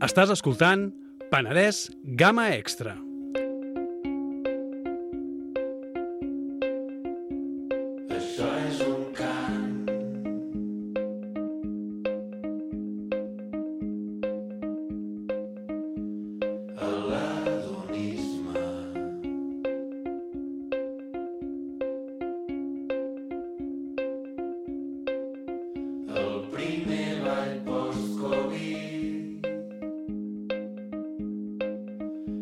Estàs escoltant Penedès Gamma Extra. Això és un cant. A l'adonisme. El primer ball post-Covid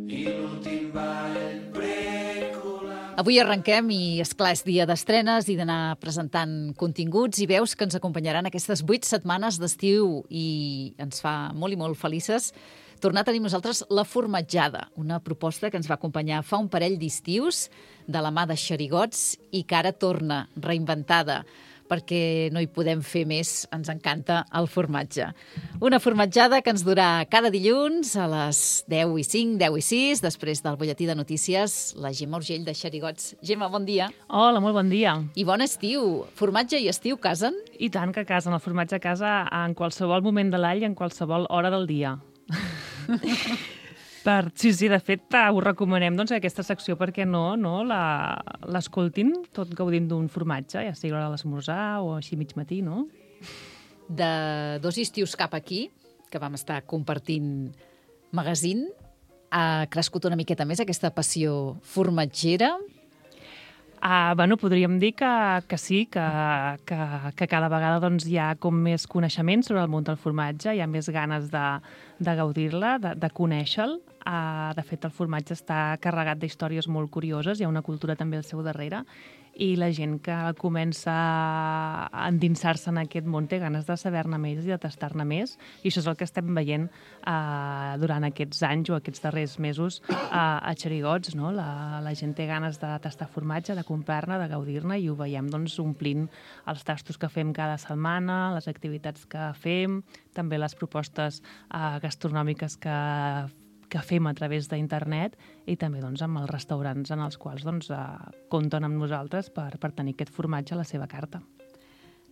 i l'últim ball pre-col·lapse. Avui arrenquem i, esclar, és dia d'estrenes i d'anar presentant continguts i veus que ens acompanyaran aquestes 8 setmanes d'estiu i ens fa molt i molt felices tornar a tenir nosaltres La Formatjada, una proposta que ens va acompanyar fa un parell d'estius de la mà de Xerigots i que ara torna reinventada perquè no hi podem fer més, ens encanta el formatge. Una formatjada que ens durà cada dilluns a les 10 i 5, 10 i 6, després del butlletí de notícies, la Gemma Urgell de Xerigots. Gemma, bon dia. Hola, molt bon dia. I bon estiu. Formatge i estiu casen? I tant que casen. El formatge a casa en qualsevol moment de l'any i en qualsevol hora del dia. Sí, de fet, us recomanem aquesta secció perquè no l'escoltin tot gaudint d'un formatge, ja sigui a l'hora de l'esmorzar o així mig matí, no? De 2 estius cap aquí, que vam estar compartint magazine, ha crescut una miqueta més aquesta passió formatgera. Podríem dir que sí, que cada vegada hi ha com més coneixement sobre el món del formatge, hi ha més ganes de gaudir-la, de conèixer-lo. De fet, el formatge està carregat d'històries molt curioses, hi ha una cultura també al seu darrere, i la gent que comença a endinsar-se en aquest món té ganes de saber-ne més i de tastar-ne més, i això és el que estem veient durant aquests anys o aquests darrers mesos a Xerigots, no? La gent té ganes de tastar formatge, de comprar-ne, de gaudir-ne, i ho veiem omplint els tastos que fem cada setmana, les activitats que fem, també les propostes gastronòmiques que fem a través d'internet i també amb els restaurants en els quals compten amb nosaltres per tenir aquest formatge a la seva carta.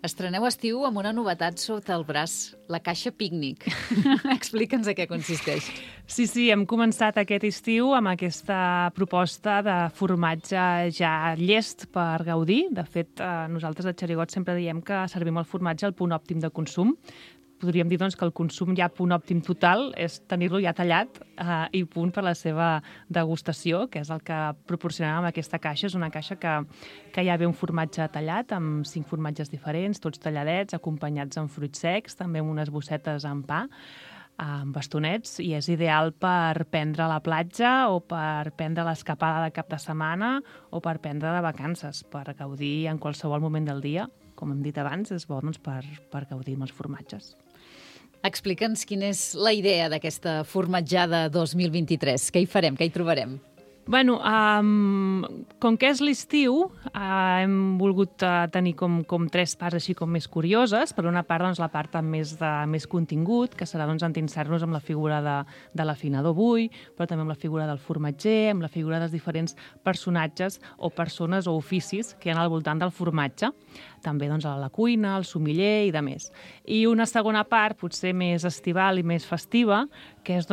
Estreneu estiu amb una novetat sota el braç, la caixa pícnic. Explica'ns a què consisteix. Sí, hem començat aquest estiu amb aquesta proposta de formatge ja llest per gaudir. De fet, nosaltres a Xerigots sempre diem que servim el formatge al punt òptim de consum. Podríem dir que el consum ja a punt òptim total és tenir-lo ja tallat i punt per la seva degustació, que és el que proporcionem amb aquesta caixa. És una caixa que ja ve un formatge tallat amb 5 formatges diferents, tots talladets, acompanyats amb fruits secs, també amb unes bossetes amb pa, amb bastonets, i és ideal per prendre a la platja o per prendre l'escapada de cap de setmana o per prendre de vacances, per gaudir en qualsevol moment del dia. Com hem dit abans, és bo per gaudir amb els formatges. Explica'ns quina és la idea d'aquesta formatjada 2023. Què hi farem? Què hi trobarem? Com que és l'estiu, hem volgut tenir com 3 parts així com més curioses. Per una part, la part amb més contingut, que serà endinsar-nos amb la figura de l'afinador Bui, però també amb la figura del formatger, amb la figura dels diferents personatges o persones o oficis que hi ha al voltant del formatge. També a la cuina, al sumiller i de més. I una segona part, potser més estival i més festiva, que és,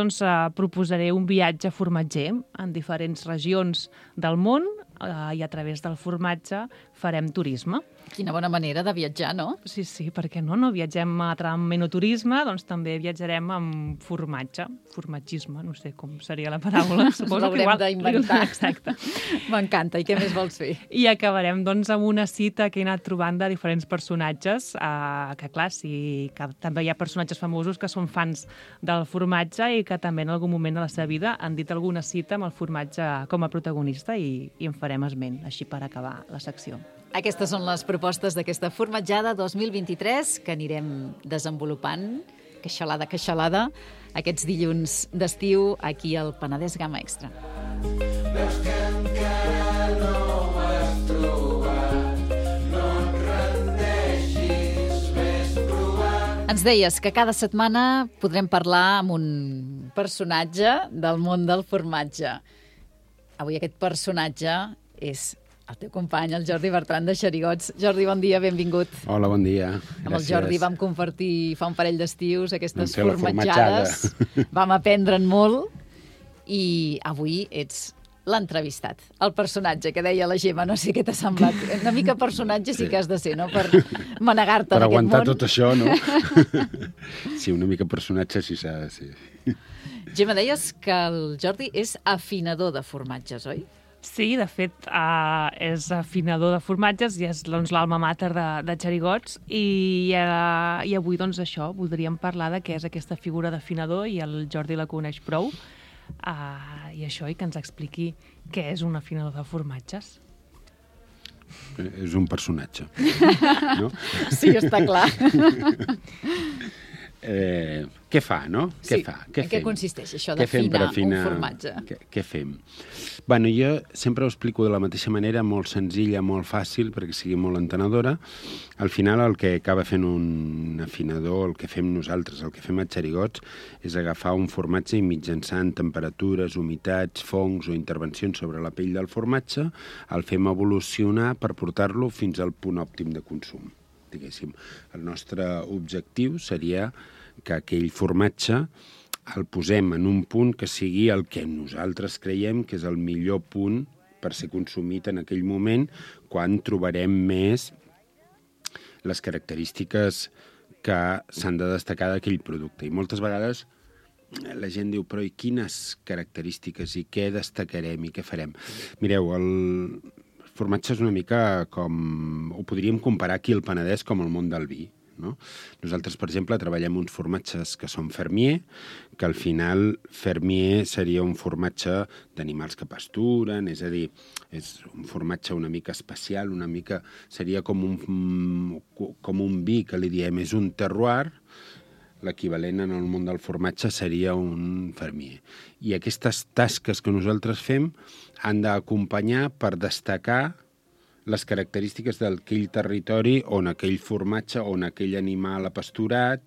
proposaré un viatge formatger en diferents regions del món i a través del formatge farem turisme. Quina bona manera de viatjar, no? Sí, per què no? No viatgem amb menoturisme, també viatjarem amb formatge, formatgisme, no sé com seria la paraula. L'haurem d'inventar. Exacte. M'encanta. I què més vols fer? I acabarem amb una cita que he anat trobant de diferents personatges, que clar, que també hi ha personatges famosos que són fans del formatge i que també en algun moment de la seva vida han dit alguna cita amb el formatge com a protagonista i en farem esment, així per acabar la secció. Aquestes són les propostes d'aquesta formatjada 2023 que anirem desenvolupant, queixalada, aquests dilluns d'estiu aquí al Penedès Gamma Extra. Veus que encara no ho has trobat, no et rendeixis, ves provant. Ens deies que cada setmana podrem parlar amb un personatge del món del formatge. Avui aquest personatge és el teu company, el Jordi Bertran de Xerigots. Jordi, bon dia, benvingut. Hola, bon dia. Gràcies. Amb el Jordi vam compartir fa un parell d'estius aquestes Vam fer la formatjades. Vam aprendre'n molt i avui ets l'entrevistat, el personatge que deia la Gemma, no sé què t'ha semblat. Una mica personatge sí que has de ser, no?, per manegar-te per en aquest món. aguantar tot això, no? Sí, una mica personatge sí s'ha de ser. Gemma, deies que el Jordi és afinador de formatges, oi? Sí, de fet, és afinador de formatges i és doncs, l'alma mater de Xerigots i avui, doncs, això, voldríem parlar de què és aquesta figura d'afinador i el Jordi la coneix prou i això, i que ens expliqui què és un afinador de formatges. És un personatge, no? Sí, està clar. Què fa, no? Sí. Què fa? En què consisteix això Què fem per d'afinar un formatge? Què fem? Bueno, jo sempre ho explico de la mateixa manera, molt senzilla, molt fàcil, perquè sigui molt entenedora. Al final el que acaba fent un afinador, el que fem nosaltres, el que fem a Xerigots, és agafar un formatge i mitjançant temperatures, humitats, fongs o intervencions sobre la pell del formatge, el fem evolucionar per portar-lo fins al punt òptim de consum. Diguéssim. El nostre objectiu seria que aquell formatge el posem en un punt que sigui el que nosaltres creiem que és el millor punt per ser consumit en aquell moment, quan trobarem més les característiques que s'han de destacar d'aquell producte. I moltes vegades la gent diu, però i quines característiques i què destacarem i què farem? Mireu, el formatge és una mica com... Ho podríem comparar aquí al Penedès com el món del vi, no? Nosaltres, per exemple, treballem uns formatges que són fermier, que al final fermier seria un formatge d'animals que pasturen, és a dir, és un formatge una mica especial, una mica... Seria com un vi, que li diem, és un terroir. L'equivalent en el món del formatge seria un fermier. I aquestes tasques que nosaltres fem han d'acompanyar per destacar les característiques d'aquell territori on aquell formatge, on aquell animal ha pasturat,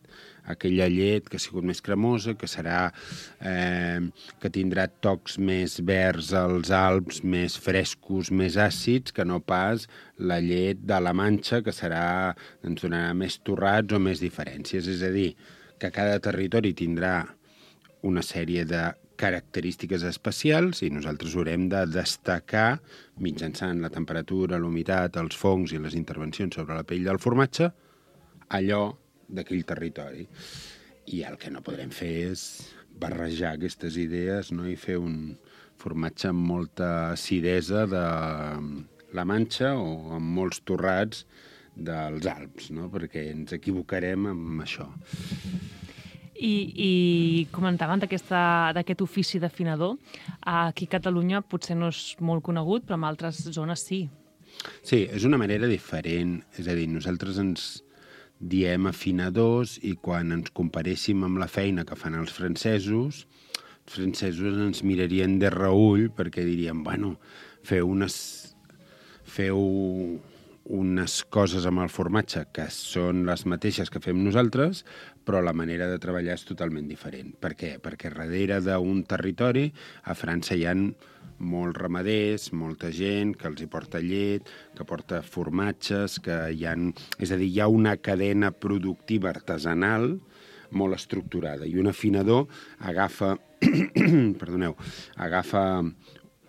aquella llet que ha sigut més cremosa, que serà que tindrà tocs més verds als Alps, més frescos, més àcids, que no pas la llet de la Manxa, que ens donarà més torrats o més diferències. És a dir, que cada territori tindrà una sèrie de característiques especials i nosaltres haurem de destacar, mitjançant la temperatura, l'humitat, els fongs i les intervencions sobre la pell del formatge, allò d'aquell territori. I el que no podrem fer és barrejar aquestes idees, no? I fer un formatge amb molta acidesa de la Manxa o amb molts torrats dels Alps, no? Perquè ens equivocarem amb això. I comentaven d'aquest ofici d'afinador. Aquí a Catalunya potser no és molt conegut, però en altres zones sí. Sí, és una manera diferent. És a dir, nosaltres ens diem afinadors i quan ens comparéssim amb la feina que fan els francesos ens mirarien de reüll perquè dirien, bueno, feu unes coses amb el formatge que són les mateixes que fem nosaltres, però la manera de treballar és totalment diferent. Per què? Perquè darrere d'un territori, a França hi ha molts ramaders, molta gent que els hi porta llet, que porta formatges, és a dir, hi ha una cadena productiva artesanal molt estructurada. I un afinador agafa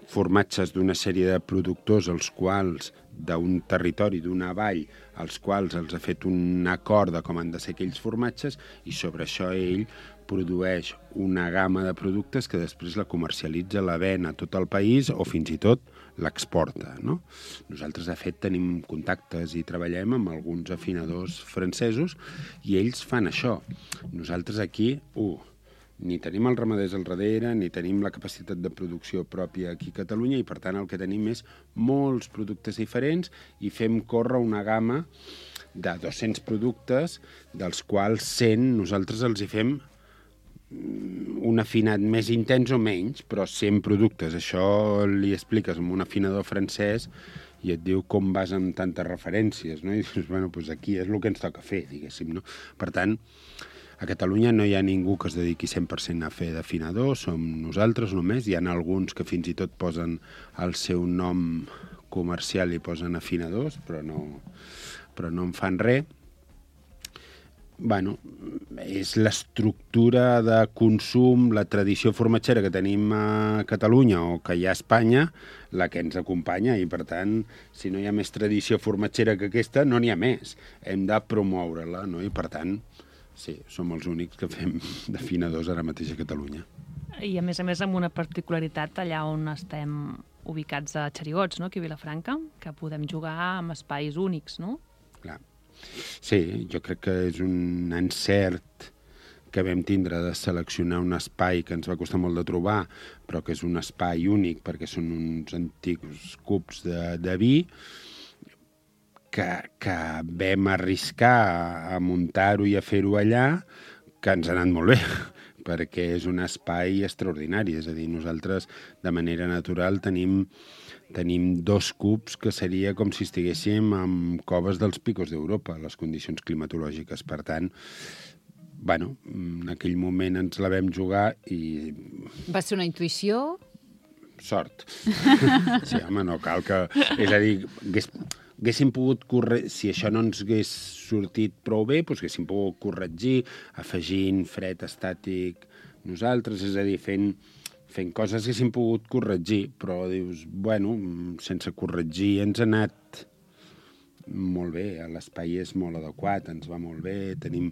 formatges d'una sèrie de productors als quals d'un territori, d'una vall, als quals els ha fet un acord de com han de ser aquells formatges i sobre això ell produeix una gamma de productes que després la comercialitza, la ven a tot el país o fins i tot l'exporta, no? Nosaltres, de fet, tenim contactes i treballem amb alguns afinadors francesos i ells fan això. Nosaltres aquí, ni tenim els ramaders al darrere, ni tenim la capacitat de producció pròpia aquí a Catalunya i, per tant, el que tenim és molts productes diferents i fem córrer una gamma de 200 productes, dels quals 100 nosaltres els hi fem un afinat més intens o menys, però 100 productes. Això li expliques amb un afinador francès i et diu com vas amb tantes referències, no? I dius, bueno, doncs aquí és el que ens toca fer, diguéssim, no? Per tant, a Catalunya no hi ha ningú que es dediqui 100% a fer d'afinador, som nosaltres només. Hi ha alguns que fins i tot posen el seu nom comercial hi posen afinadors, però no en fan res. Bueno, és l'estructura de consum, la tradició formatgera que tenim a Catalunya o que hi ha a Espanya, la que ens acompanya, i per tant, si no hi ha més tradició formatgera que aquesta, no n'hi ha més. Hem de promoure-la, no? I per tant, sí, som els únics que fem d'afinadors ara mateix a Catalunya. I a més amb una particularitat allà on estem ubicats a Xerigots, no? Aquí a Vilafranca, que podem jugar amb espais únics, no? Clar. Sí, jo crec que és un encert que vam tindre de seleccionar un espai que ens va costar molt de trobar, però que és un espai únic perquè són uns antics cubs de vi que vam arriscar a muntar-ho i a fer-ho allà, que ens ha anat molt bé, perquè és un espai extraordinari. És a dir, nosaltres de manera natural tenim 2 cubs que seria com si estiguéssim en coves dels picos d'Europa, les condicions climatològiques. Per tant, bueno, en aquell moment ens la vam jugar i... Va ser una intuïció? Sort. Sí, home, no cal que... És a dir, haguéssim pogut si això no ens hagués sortit prou bé, doncs haguéssim pogut corregir, afegint fred estàtic nosaltres, és a dir, fent coses que haguéssim pogut corregir, però dius, bueno, sense corregir ens ha anat molt bé, l'espai és molt adequat, ens va molt bé, tenim...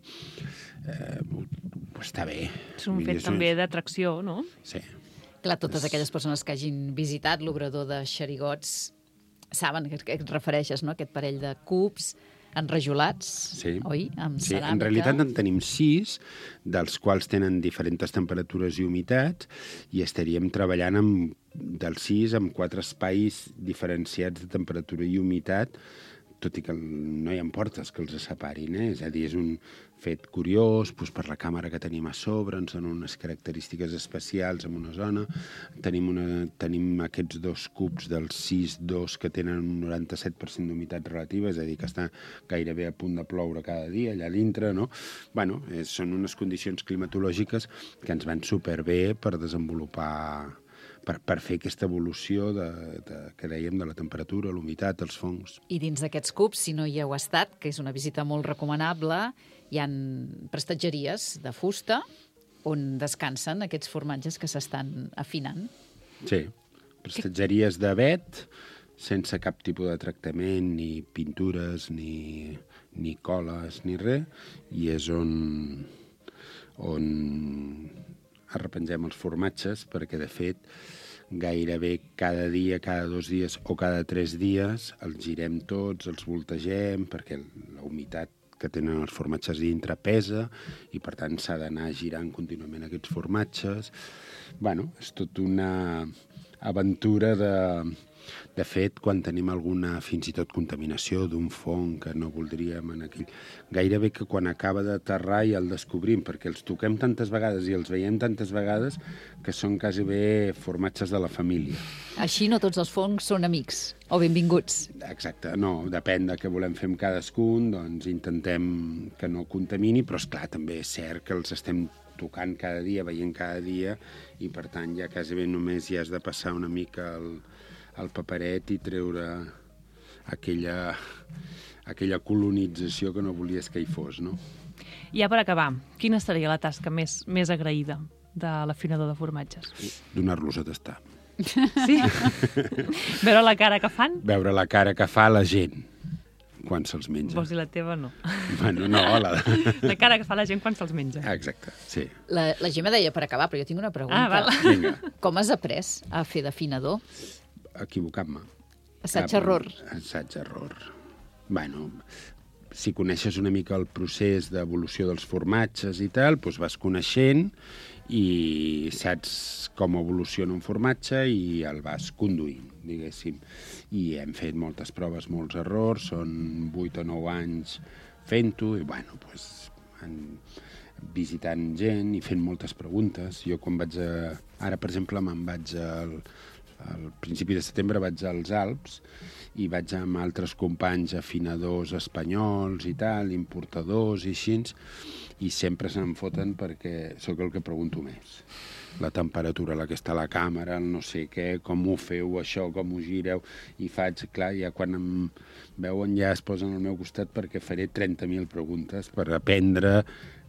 està bé. És un fet també d'atracció, no? Sí. Clar, totes aquelles persones que hagin visitat l'obrador de Xerigots saben que et refereixes, no?, aquest parell de cubs enrajolats, sí. Oi? Amb sí, ceràmica. En realitat en tenim 6, dels quals tenen diferents temperatures i humitats, i estaríem treballant dels 6 amb 4 espais diferenciats de temperatura i humitat, tot i que no hi ha portes que els separin, És a dir, és un fet curiós, doncs per la càmera que tenim a sobre, ens donen unes característiques especials en una zona. Tenim aquests 2 cubs dels 6-2 que tenen un 97% d'humitat relativa, és a dir, que està gairebé a punt de ploure cada dia allà dintre, no? Bueno, són unes condicions climatològiques que ens van superbé per desenvolupar... per fer aquesta evolució que dèiem de la temperatura, l'humitat, els fongs. I dins d'aquests cubs, si no hi heu estat, que és una visita molt recomanable, hi han prestatgeries de fusta on descansen aquests formatges que s'estan afinant. Sí, prestatgeries de vet, sense cap tipus de tractament, ni pintures, ni coles, ni res, i és on arrepengem els formatges, perquè, de fet, gairebé cada dia, cada 2 dies o cada 3 dies els girem tots, els voltegem, perquè la humitat que tenen els formatges dintre pesa i, per tant, s'ha d'anar girant contínuament aquests formatges. Bueno, és tot una aventura de fet, quan tenim alguna, fins i tot, contaminació d'un fong que no voldríem en aquell... Gairebé que quan acaba d'aterrar ja el descobrim, perquè els toquem tantes vegades i els veiem tantes vegades que són quasi bé formatges de la família. Així no tots els fongs són amics o benvinguts. Exacte, no, depèn de què volem fer amb cadascun, doncs intentem que no contamini, però esclar, també és cert que els estem tocant cada dia, veient cada dia, i per tant ja quasi bé només hi has de passar una mica el paperet i treure aquella colonització que no volies que hi fos, no? Ja per acabar, quina seria la tasca més agraïda de l'afinador de formatges? Donar-los a tastar. Sí? Veure la cara que fan? Veure la cara que fa la gent quan se'ls menja. Vols dir la teva, no? Bueno, no, la cara que fa la gent quan se'ls menja. Exacte, sí. La Gemma deia per acabar, però jo tinc una pregunta. Val. Vinga. Com has après a fer d'afinador? Equivocant-me. Assaig-error. Assaig-error. Bueno, si coneixes una mica el procés d'evolució dels formatges i tal, doncs vas coneixent i saps com evoluciona un formatge i el vas conduint, diguéssim. I hem fet moltes proves, molts errors, són 8 o 9 anys fent-ho, i bueno, doncs, visitant gent i fent moltes preguntes. Jo quan vaig ara, per exemple, me'n vaig al principi de setembre vaig als Alps i vaig amb altres companys afinadors espanyols i tal, importadors i així, i sempre se'm foten perquè sóc el que pregunto més. La temperatura, la que està a la càmera, el no sé què, com ho feu això, com ho gireu, i faig, clar, ja quan em veuen ja es posen al meu costat perquè faré 30.000 preguntes per aprendre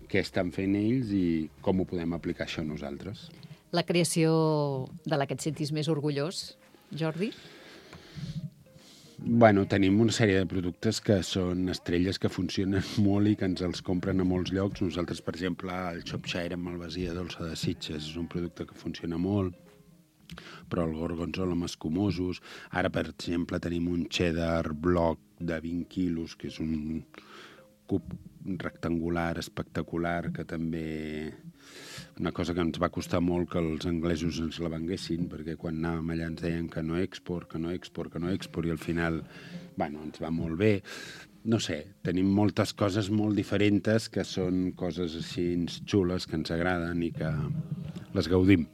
què estan fent ells i com ho podem aplicar això nosaltres. La creació de la que et sentis més orgullós, Jordi? Bueno, tenim una sèrie de productes que són estrelles que funcionen molt i que ens els compren a molts llocs. Nosaltres, per exemple, el Shropshire amb Malvasia dolça de Sitges és un producte que funciona molt, però el gorgonzola amb escumosos. Ara, per exemple, tenim un cheddar bloc de 20 quilos, que és un cub rectangular espectacular, que també... Una cosa que ens va costar molt que els anglesos ens la venguessin, perquè quan anàvem allà ens deien que no export, i al final, bueno, ens va molt bé. No sé, tenim moltes coses molt diferents que són coses així xules, que ens agraden i que les gaudim.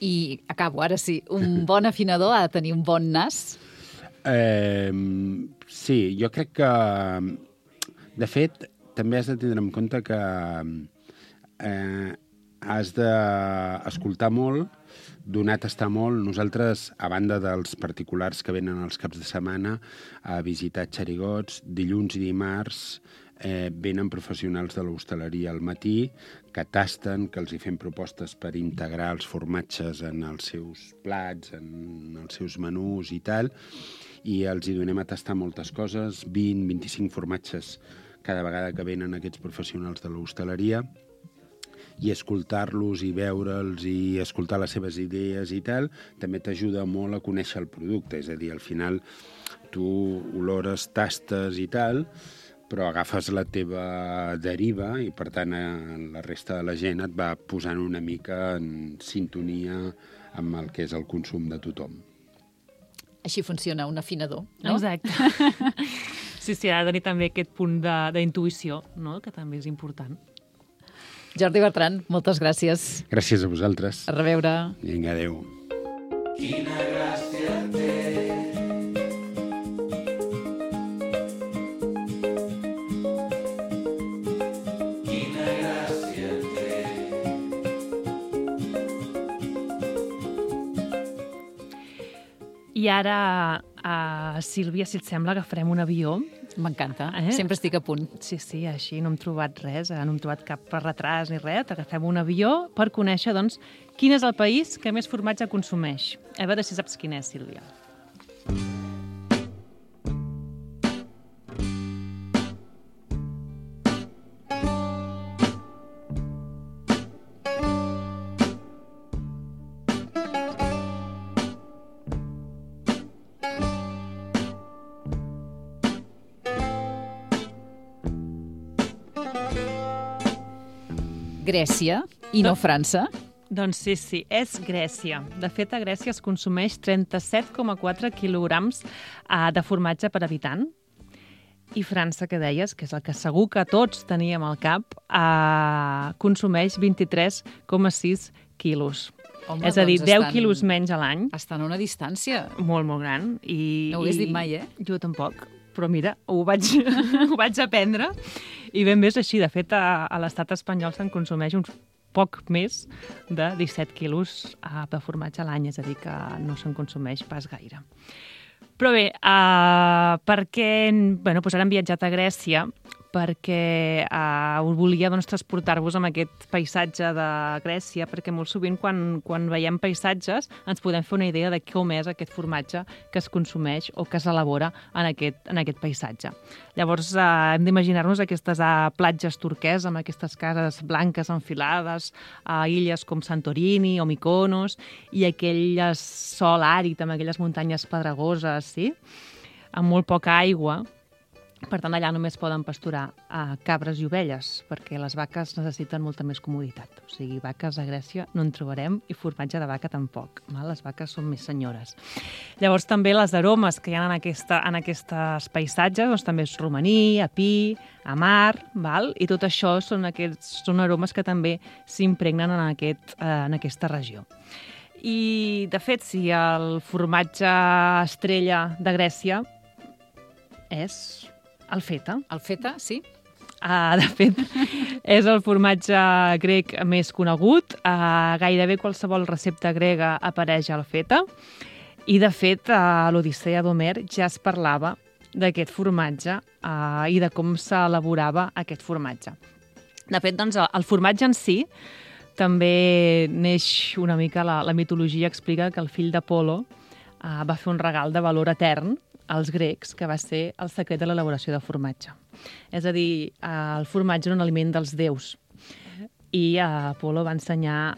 I acabo, ara sí. Un bon afinador ha de tenir un bon nas? Sí, jo crec que... De fet, també has de tindre en compte que has d'escoltar molt, donar a tastar molt. Nosaltres, a banda dels particulars que venen els caps de setmana a visitar xerigots, dilluns i dimarts venen professionals de l'hostaleria al matí que tasten, que els hi fem propostes per integrar els formatges en els seus plats, en els seus menús i tal, i els hi donem a tastar moltes coses, 20-25 formatges cada vegada que venen aquests professionals de l'hostaleria, i escoltar-los i veure'ls i escoltar les seves idees i tal, també t'ajuda molt a conèixer el producte. És a dir, al final tu olores, tastes i tal, però agafes la teva deriva i, per tant, la resta de la gent et va posant una mica en sintonia amb el que és el consum de tothom. Així funciona un afinador, no? Exacte. Sí, ha de tenir també aquest punt d'intuïció, no? Que també és important. Jordi Bertran, moltes gràcies. Gràcies a vosaltres. A reveure. Vinga, adéu. Quina gràcia té. Quina gràcia té. I ara, Sílvia, si et sembla, agafarem un avió. M'encanta. Sempre estic a punt. Sí, així no hem trobat res, no hem trobat cap retras ni res. Agafem un avió per conèixer, doncs, quin és el país que més formatge consumeix. A veure si saps quin és, Sílvia. Grècia i no França? Doncs sí, és Grècia. De fet, a Grècia es consumeix 37,4 quilograms de formatge per habitant. I França, que deies, que és el que segur que tots teníem al cap, consumeix 23,6 quilos. Home, és a dir, doncs 10 quilos menys a l'any. Estan a una distància. Molt, molt gran. No ho hagués dit mai, Jo tampoc. Però mira, ho vaig aprendre i ben bé és així. De fet, a l'estat espanyol se'n consumeix uns poc més de 17 quilos de formatge a l'any, és a dir, que no se'n consumeix pas gaire. Però bé, per què... Bueno, doncs ara hem viatjat a Grècia perquè volia transportar-vos amb aquest paisatge de Grècia, perquè molt sovint quan veiem paisatges ens podem fer una idea de com és aquest formatge que es consumeix o que s'elabora en aquest paisatge. Llavors hem d'imaginar-nos aquestes platges turques amb aquestes cases blanques enfilades a illes com Santorini o Mykonos i aquell sol àrid amb aquelles muntanyes pedregoses, sí? Amb molt poca aigua. Per tant, allà només poden pasturar cabres i ovelles, perquè les vaques necessiten molta més comoditat. O sigui, vaques a Grècia no en trobarem i formatge de vaca tampoc. Les vaques són més senyores. Llavors, també les aromes que hi ha en aquests paisatges, doncs, també és romaní, apí, amar, i tot això són aromes que també s'impregnen en aquesta regió. I, de fet, si el formatge estrella de Grècia és el feta. El feta, sí? De fet, és el formatge grec més conegut. Gairebé qualsevol recepta grega apareix al feta. I, de fet, a l'Odissea d'Homer ja es parlava d'aquest formatge i de com s'elaborava aquest formatge. De fet, doncs, el formatge en si també neix una mica, la mitologia explica que el fill d'Apol·lo va fer un regal de valor etern als grecs, que va ser el secret de l'elaboració de formatge. És a dir, el formatge era un aliment dels déus. I Apol·lo va ensenyar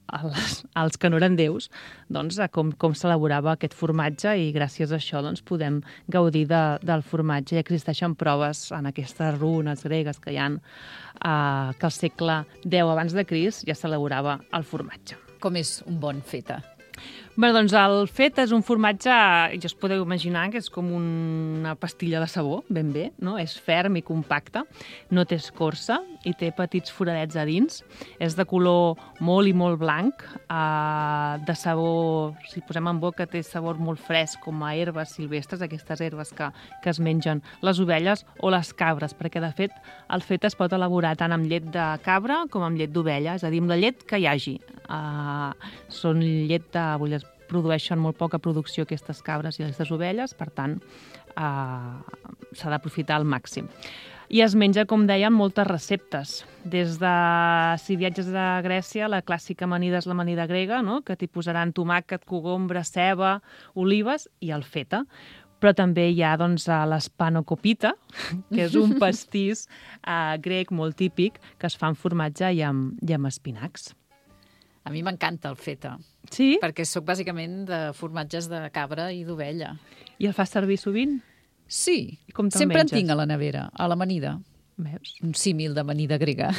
als que no eren déus doncs, com s'elaborava aquest formatge i gràcies a això doncs, podem gaudir del formatge. I existeixen proves en aquestes runes gregues que hi ha que al segle X abans de Crist ja s'elaborava el formatge. Com és un bon feta? Bé, doncs el feta és un formatge, ja us podeu imaginar que és com una pastilla de sabó, ben bé, no? És ferm i compacte, no té escorça i té petits foradets a dins. És de color molt i molt blanc, de sabor, si posem en boca, té sabor molt fresc, com a herbes silvestres, aquestes herbes que es mengen les ovelles o les cabres, perquè de fet el feta es pot elaborar tant amb llet de cabra com amb llet d'ovella, és a dir, amb la llet que hi hagi. Són llet de... produeixen molt poca producció aquestes cabres i aquestes ovelles, per tant, s'ha d'aprofitar al màxim. I es menja, com deien, moltes receptes. Des de, si viatges a Grècia, la clàssica amanida és l'amanida grega, no? Que t'hi posaran tomàquet, cogombre, ceba, olives i el feta. Però també hi ha doncs, l'espanokopita, que és un pastís grec molt típic que es fa amb formatge i amb espinacs. A mi m'encanta el feta. Sí? Perquè soc bàsicament de formatges de cabra i d'ovella. I el fas servir sovint? Sí, com sempre en tinc a la nevera, a l'amanida. Veus? Un símil d'amanida grega.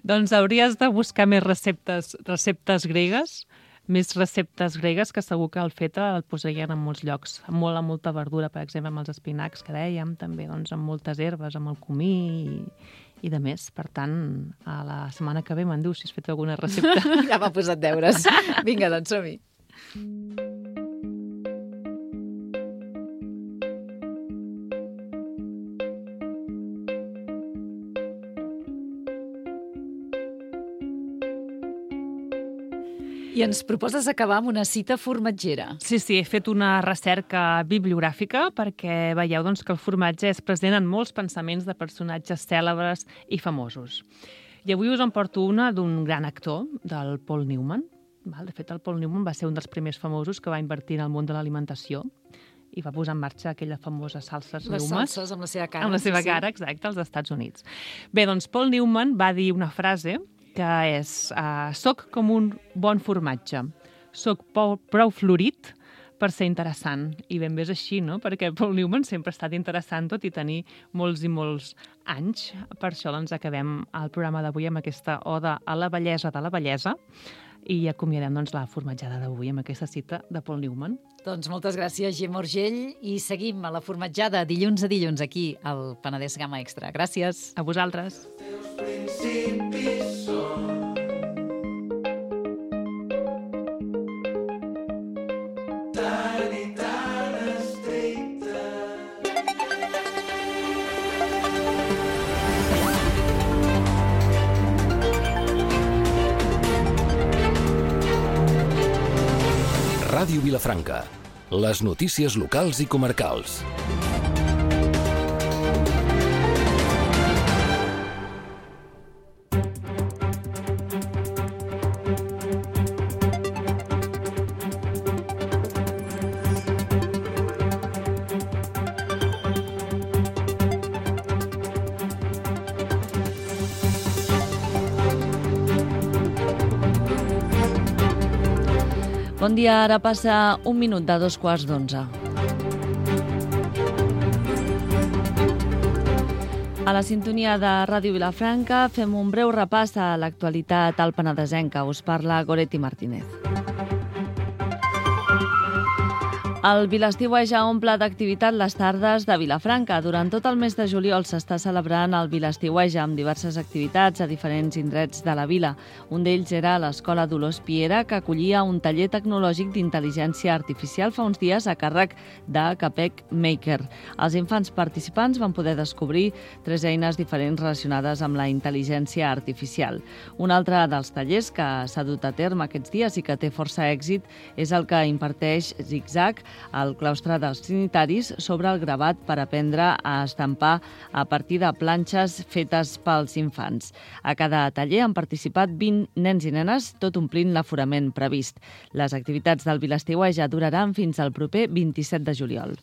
Doncs hauries de buscar més receptes gregues, més receptes gregues, que segur que el feta el posarien en molts llocs, amb molta verdura, per exemple, amb els espinacs que dèiem, també doncs, amb moltes herbes, amb el comí i de més. Per tant, a la setmana que ve me'n dius si has fet alguna recepta. Ja m'ha posat deures. Vinga, doncs som-hi. I ens proposes acabar amb una cita formatgera. Sí, he fet una recerca bibliogràfica perquè veieu doncs, que el formatge és present en molts pensaments de personatges cèlebres i famosos. I avui us en porto una d'un gran actor, del Paul Newman. De fet, el Paul Newman va ser un dels primers famosos que va invertir en el món de l'alimentació i va posar en marxa aquella famosa salses Newman. Les salses amb la seva cara. Amb la seva cara, exacte, als Estats Units. Bé, doncs Paul Newman va dir una frase que és «Soc com un bon formatge, soc prou florit per ser interessant». I ben bé és així, no? Perquè Paul Newman sempre ha estat interessant, tot i tenir molts i molts anys. Per això doncs, acabem el programa d'avui amb aquesta oda a la bellesa de la bellesa i acomiadem doncs, la formatjada d'avui amb aquesta cita de Paul Newman. Doncs moltes gràcies, Gemma Urgell, i seguim a la formatjada dilluns a dilluns aquí al Penedès Gamma Extra. Gràcies. A vosaltres. Principis són tan i tan estrictes. Ràdio Vilafranca. Les notícies locals i comarcals. Bon dia, ara passa 1 minut de 2:15. A la sintonia de Ràdio Vilafranca fem un breu repàs a l'actualitat al penedesenca. Us parla Goretti Martínez. El Vilaestiueja omple d'activitat les tardes de Vilafranca. Durant tot el mes de juliol s'està celebrant el Vilaestiueja amb diverses activitats a diferents indrets de la vila. Un d'ells era l'Escola Dolors Piera, que acollia un taller tecnològic d'intel·ligència artificial fa uns dies a càrrec de Capec Maker. Els infants participants van poder descobrir 3 eines diferents relacionades amb la intel·ligència artificial. Un altre dels tallers que s'ha dut a terme aquests dies i que té força èxit és el que imparteix Zigzag al claustre dels Trinitaris sobre el gravat per aprendre a estampar a partir de planxes fetes pels infants. A cada taller han participat 20 nens i nenes, tot omplint l'aforament previst. Les activitats del Vilaestiueja duraran fins al proper 27 de juliol.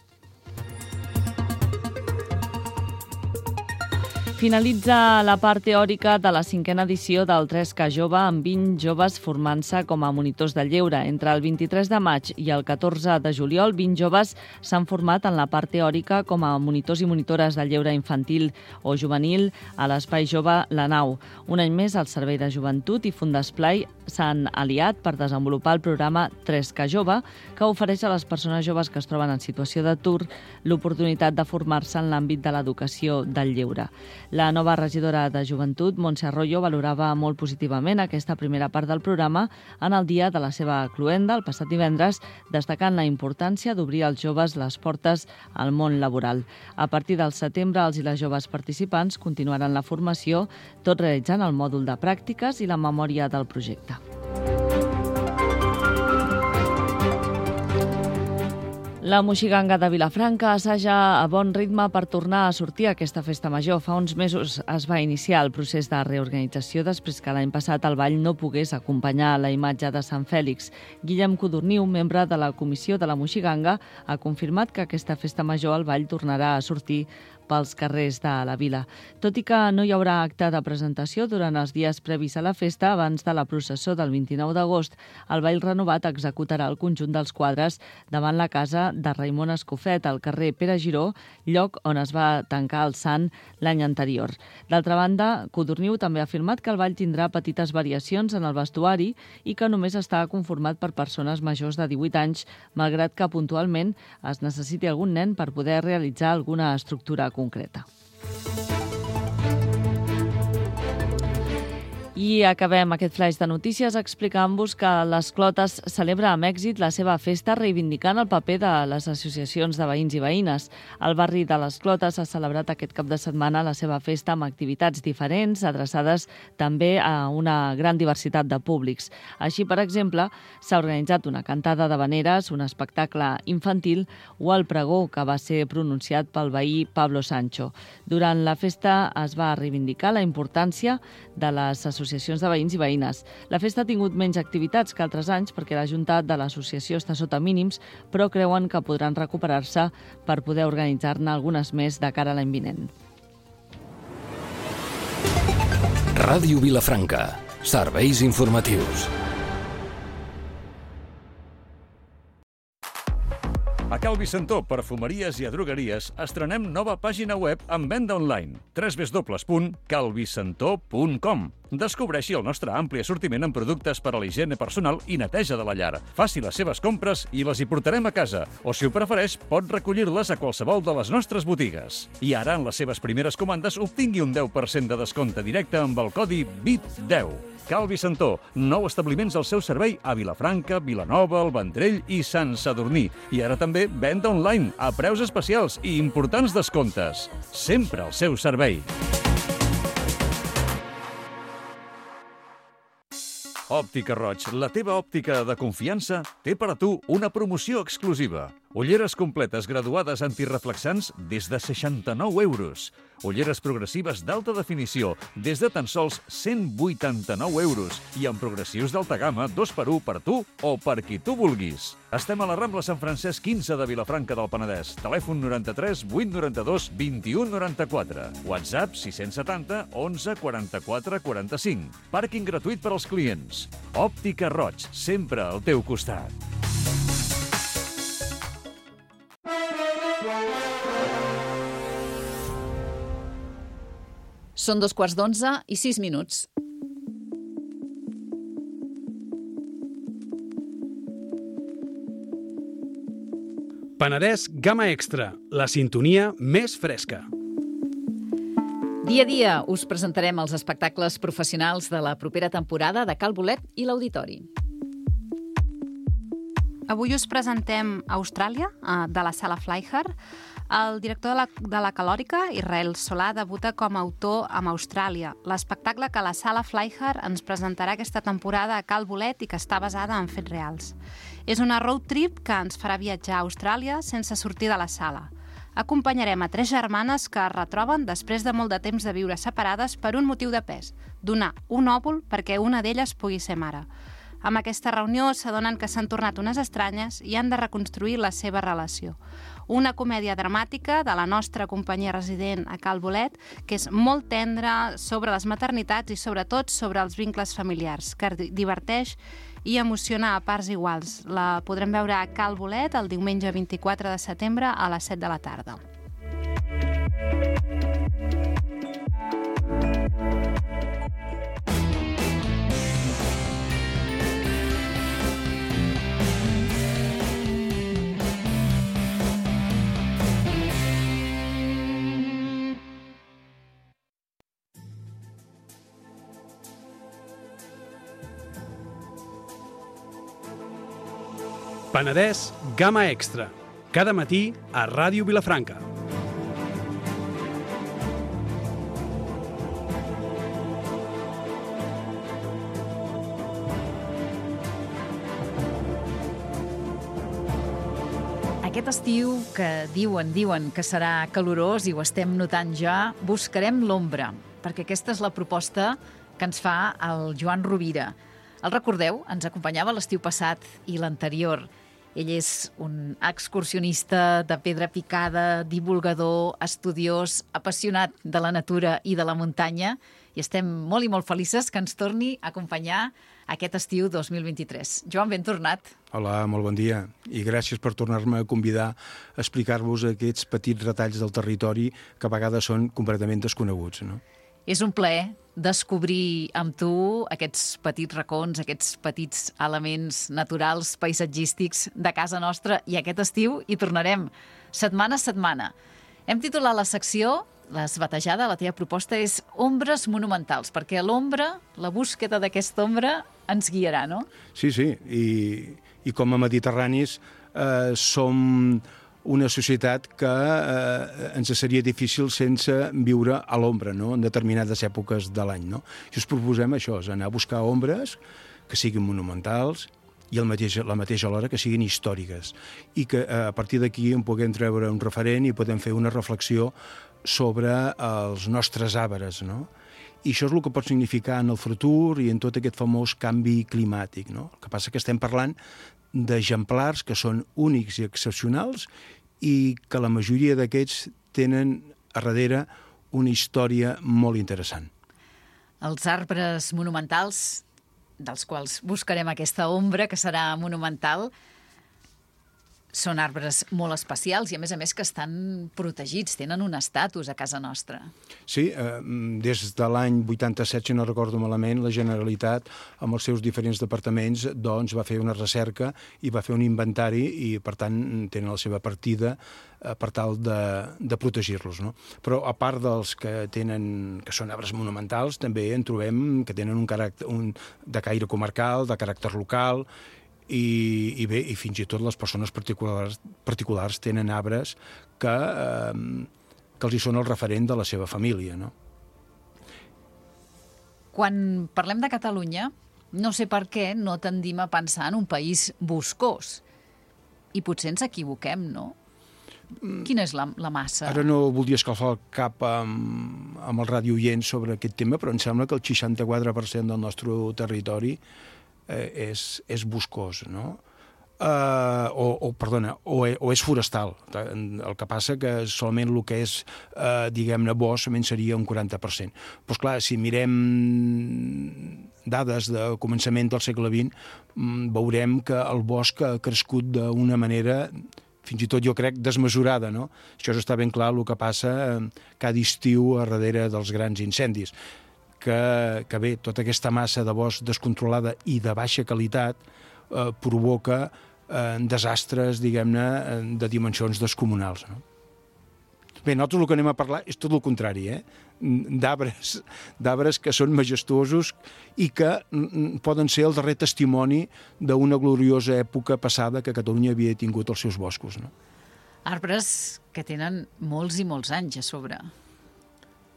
Finalitza la part teòrica de la 5a edició del 3K Jove amb 20 joves formant-se com a monitors del lleure. Entre el 23 de maig i el 14 de juliol, 20 joves s'han format en la part teòrica com a monitors i monitores del lleure infantil o juvenil a l'Espai Jove La Nau. Un any més, el Servei de Joventut i Fundesplai s'han aliat per desenvolupar el programa 3K Jove, que ofereix a les persones joves que es troben en situació d'atur l'oportunitat de formar-se en l'àmbit de l'educació del lleure. La nova regidora de Joventut, Montse Arroyo, valorava molt positivament aquesta primera part del programa en el dia de la seva cloenda, el passat divendres, destacant la importància d'obrir als joves les portes al món laboral. A partir del setembre, els i les joves participants continuaran la formació, tot realitzant el mòdul de pràctiques i la memòria del projecte. La Moixiganga de Vilafranca assaja a bon ritme per tornar a sortir a aquesta festa major. Fa uns mesos es va iniciar el procés de reorganització després que l'any passat el ball no pogués acompanyar la imatge de Sant Fèlix. Guillem Codorniu, membre de la comissió de la Moixiganga, ha confirmat que aquesta festa major el ball tornarà a sortir pels carrers de la vila. Tot i que no hi haurà acte de presentació durant els dies previs a la festa, abans de la processó del 29 d'agost, el ball renovat executarà el conjunt dels quadres davant la casa de Raimon Escofet, al carrer Pere Giró, lloc on es va tancar el sant l'any anterior. D'altra banda, Codorniu també ha afirmat que el ball tindrà petites variacions en el vestuari i que només està conformat per persones majors de 18 anys, malgrat que puntualment es necessiti algun nen per poder realitzar alguna estructura concreta. I acabem aquest flaix de notícies explicant-vos que les Clotes celebra amb èxit la seva festa reivindicant el paper de les associacions de veïns i veïnes. El barri de les Clotes ha celebrat aquest cap de setmana la seva festa amb activitats diferents, adreçades també a una gran diversitat de públics. Així, per exemple, s'ha organitzat una cantada d'havaneres, un espectacle infantil o el pregó que va ser pronunciat pel veí Pablo Sancho. Durant la festa es va reivindicar la importància de les associacions de veïns i veïnes. La festa ha tingut menys activitats que altres anys perquè la Junta de l'Associació està sota mínims, però creuen que podran recuperar-se per poder organitzar-ne algunes més de cara a l'any vinent. Ràdio Vilafranca. Serveis informatius. A Cal Vicentó, perfumeries i a drogueries, estrenem nova pàgina web amb venda online. www.calvicentó.com. Descobreixi el nostre ampli assortiment en productes per a la higiene personal i neteja de la llar. Faci les seves compres i les hi portarem a casa, o si ho prefereix, pot recollir-les a qualsevol de les nostres botigues. I ara, en les seves primeres comandes, obtingui un 10% de descompte directe amb el codi VIT10. Cal Vicentó, 9 establiments al seu servei a Vilafranca, Vilanova, el Vendrell i Sant Sadurní. I ara també venda online, a preus especials i importants descomptes. Sempre al seu servei. Òptica Roig, la teva òptica de confiança, té per a tu una promoció exclusiva. Ulleres completes graduades antireflexants des de 69 euros. Ulleres progressives d'alta definició des de tan sols 189 euros i amb progressius d'alta gamma 2x1 per tu o per qui tu vulguis. Estem a la Rambla Sant Francesc 15 de Vilafranca del Penedès. Telèfon 93 892 21 94. WhatsApp 670 11 44 45. Pàrquing gratuït per als clients. Òptica Roig, sempre al teu costat. Són 11:15 i 6 minuts. Penedès Gamma Extra, la sintonia més fresca. Dia a dia us presentarem els espectacles professionals de la propera temporada de Cal Bolet i l'Auditori. Avui us presentem Austràlia, de la Sala Flyher. El director de la Calòrica, Israel Solà, debuta com a autor amb Austràlia, l'espectacle que la Sala Flyher ens presentarà aquesta temporada a Cal Bolet i que està basada en fets reals. És una road trip que ens farà viatjar a Austràlia sense sortir de la sala. Acompanyarem a 3 germanes que es retroben després de molt de temps de viure separades per un motiu de pes, donar un òvul perquè una d'elles pugui ser mare. Amb aquesta reunió s'adonen que s'han tornat unes estranyes i han de reconstruir la seva relació. Una comèdia dramàtica de la nostra companyia resident a Cal Bolet, que és molt tendra sobre les maternitats i sobretot sobre els vincles familiars, que diverteix i emociona a parts iguals. La podrem veure a Cal Bolet el diumenge 24 de setembre a les 7 de la tarda. Penedès Gamma Extra, cada matí a Ràdio Vilafranca. Aquest estiu, que diuen que serà calorós i ho estem notant ja, buscarem l'ombra, perquè aquesta és la proposta que ens fa el Joan Rovira. El recordeu? Ens acompanyava l'estiu passat i l'anterior. Ell és un excursionista de pedra picada, divulgador, estudiós, apassionat de la natura i de la muntanya, i estem molt i molt felices que ens torni a acompanyar aquest estiu 2023. Joan, ben tornat. Hola, molt bon dia, i gràcies per tornar-me a convidar a explicar-vos aquests petits retalls del territori que a vegades són completament desconeguts, no? És un plaer descobrir amb tu aquests petits racons, aquests petits elements naturals, paisatgístics de casa nostra, i aquest estiu hi tornarem setmana a setmana. Hem titulat la secció, l'has batejada, la teva proposta és Ombres monumentals, perquè l'ombra, la búsqueda d'aquesta ombra ens guiarà, no? Sí, i com a mediterranis som una societat que ens seria difícil sense viure a l'ombra, no?, en determinades èpoques de l'any, no? I us proposem això, és anar a buscar ombres que siguin monumentals i la mateixa alhora que siguin històriques, i que a partir d'aquí en puguem treure un referent i podem fer una reflexió sobre els nostres arbres, no? I això és el que pot significar en el futur i en tot aquest famós canvi climàtic, no? El que passa que estem parlant d'exemplars que són únics i excepcionals i que la majoria d'aquests tenen a darrere una història molt interessant. Els arbres monumentals, dels quals buscarem aquesta ombra que serà monumental, són arbres molt especials i, a més, que estan protegits, tenen un estatus a casa nostra. Sí, des de l'any 87, si no recordo malament, la Generalitat, amb els seus diferents departaments, doncs, va fer una recerca i va fer un inventari i, per tant, tenen la seva partida per tal de protegir-los, no? Però, a part dels que són arbres monumentals, també en trobem que tenen un caràcter de caire comarcal, de caràcter local, i bé, i fins i tot les persones particulars tenen arbres que els hi són el referent de la seva família, no? Quan parlem de Catalunya, no sé per què no tendim a pensar en un país boscós. I potser ens equivoquem, no? Quina és la massa? Ara no voldria escalfar el cap amb el radioient sobre aquest tema, però em sembla que el 64% del nostre territori és boscós, no? O és forestal. El que passa que solament el que és, diguem-ne, bosc seria un 40%. Però, esclar, si mirem dades de començament del segle XX, veurem que el bosc ha crescut d'una manera, fins i tot jo crec, desmesurada, no? Això està ben clar, el que passa cada estiu a darrere dels grans incendis. Que bé, tota aquesta massa de bosc descontrolada i de baixa qualitat provoca desastres, diguem-ne, de dimensions descomunals, no? Bé, nosaltres el que anem a parlar és tot el contrari, d'arbres que són majestuosos i que poden ser el darrer testimoni d'una gloriosa època passada que Catalunya havia tingut als seus boscos, no? Arbres que tenen molts i molts anys a sobre.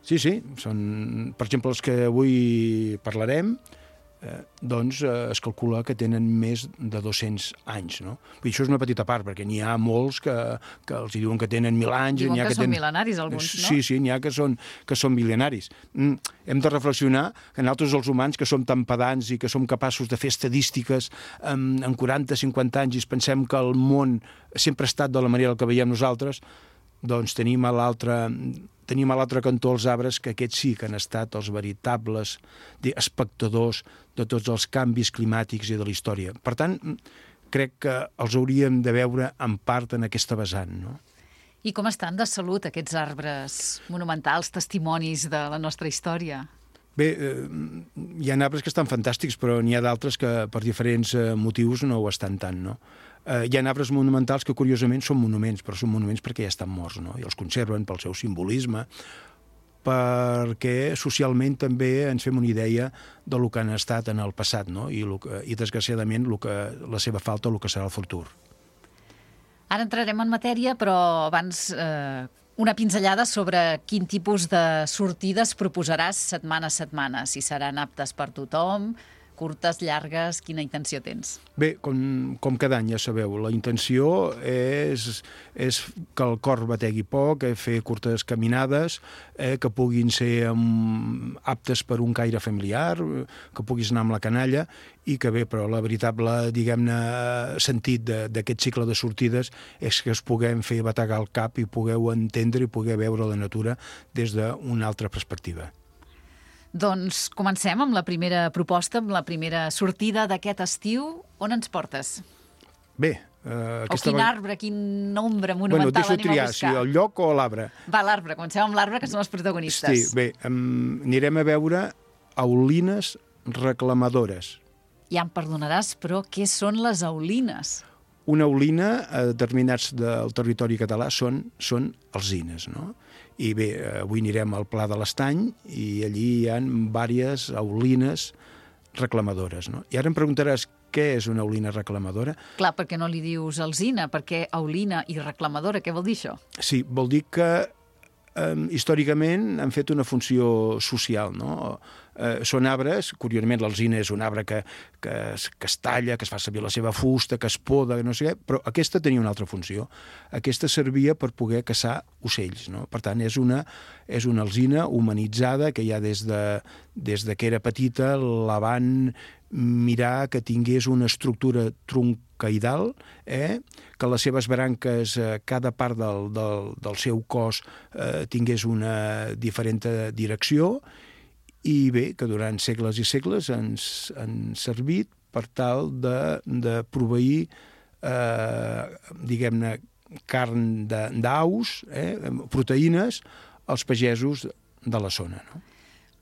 Sí, són, per exemple, els que avui parlarem, doncs es calcula que tenen més de 200 anys, no? Això és una petita part, perquè n'hi ha molts que els diuen que tenen 1.000 anys. Diuen que són mil·lenaris, alguns, no? Sí, n'hi ha que són mil·lenaris. Hem de reflexionar que nosaltres, els humans, que som tan pedants i que som capaços de fer estadístiques en 40-50 anys i pensem que el món sempre ha estat de la manera que veiem nosaltres, doncs tenim a l'altre cantó els arbres, que aquests sí que han estat els veritables espectadors de tots els canvis climàtics i de la història. Per tant, crec que els hauríem de veure en part en aquesta vessant, no? I com estan de salut aquests arbres monumentals, testimonis de la nostra història? Bé, hi ha arbres que estan fantàstics, però n'hi ha d'altres que per diferents motius no ho estan tant, no? Hi ha arbres monumentals que curiosament són monuments, però són monuments perquè ja estan morts, no? I els conserven pel seu simbolisme, perquè socialment també ens fem una idea del que han estat en el passat, no? I desgraciadament la seva falta, el que serà el futur. Ara entrarem en matèria, però abans una pinzellada sobre quin tipus de sortides proposaràs setmana a setmana, si seran aptes per tothom, curtes, llargues, quina intenció tens? Bé, com cada any, ja sabeu, la intenció és que el cor bategui poc, fer curtes caminades, que puguin ser aptes per un caire familiar, que puguis anar amb la canalla, i que bé, però la veritable, diguem-ne, sentit d'aquest cicle de sortides és que es puguem fer bategar el cap i pugueu entendre i poder veure la natura des d'una altra perspectiva. Doncs comencem amb la primera proposta, amb la primera sortida d'aquest estiu. On ens portes? Bé, quin arbre, quin nombre monumental deixo anem triar, a buscar? si el lloc o l'arbre. Va, l'arbre. Comencem amb l'arbre, que són els protagonistes. Sí, bé, anirem a veure aulines reclamadores. Ja em perdonaràs, però què són les aulines? Una aulina, a determinats del territori català, són alzines, no? I bé, avui anirem al Pla de l'Estany i allí hi ha diverses aulines reclamadores, no? I ara em preguntaràs què és una aulina reclamadora. Clar, perquè no li dius alzina, perquè aulina i reclamadora, què vol dir això? Sí, vol dir que històricament han fet una funció social, no? Són arbres, curiosament l'alzina és un arbre que es talla, que es fa servir la seva fusta, que es poda, no sé què, però aquesta tenia una altra funció. Aquesta servia per poder caçar ocells, no? Per tant, és una alzina humanitzada que ja des de que era petita la van mirar que tingués una estructura troncoidal, que les seves branques, cada part del seu cos tingués una diferent direcció, i bé, que durant segles i segles han servit per tal de proveir, diguem-ne, carn d'aus, proteïnes, als pagesos de la zona, no?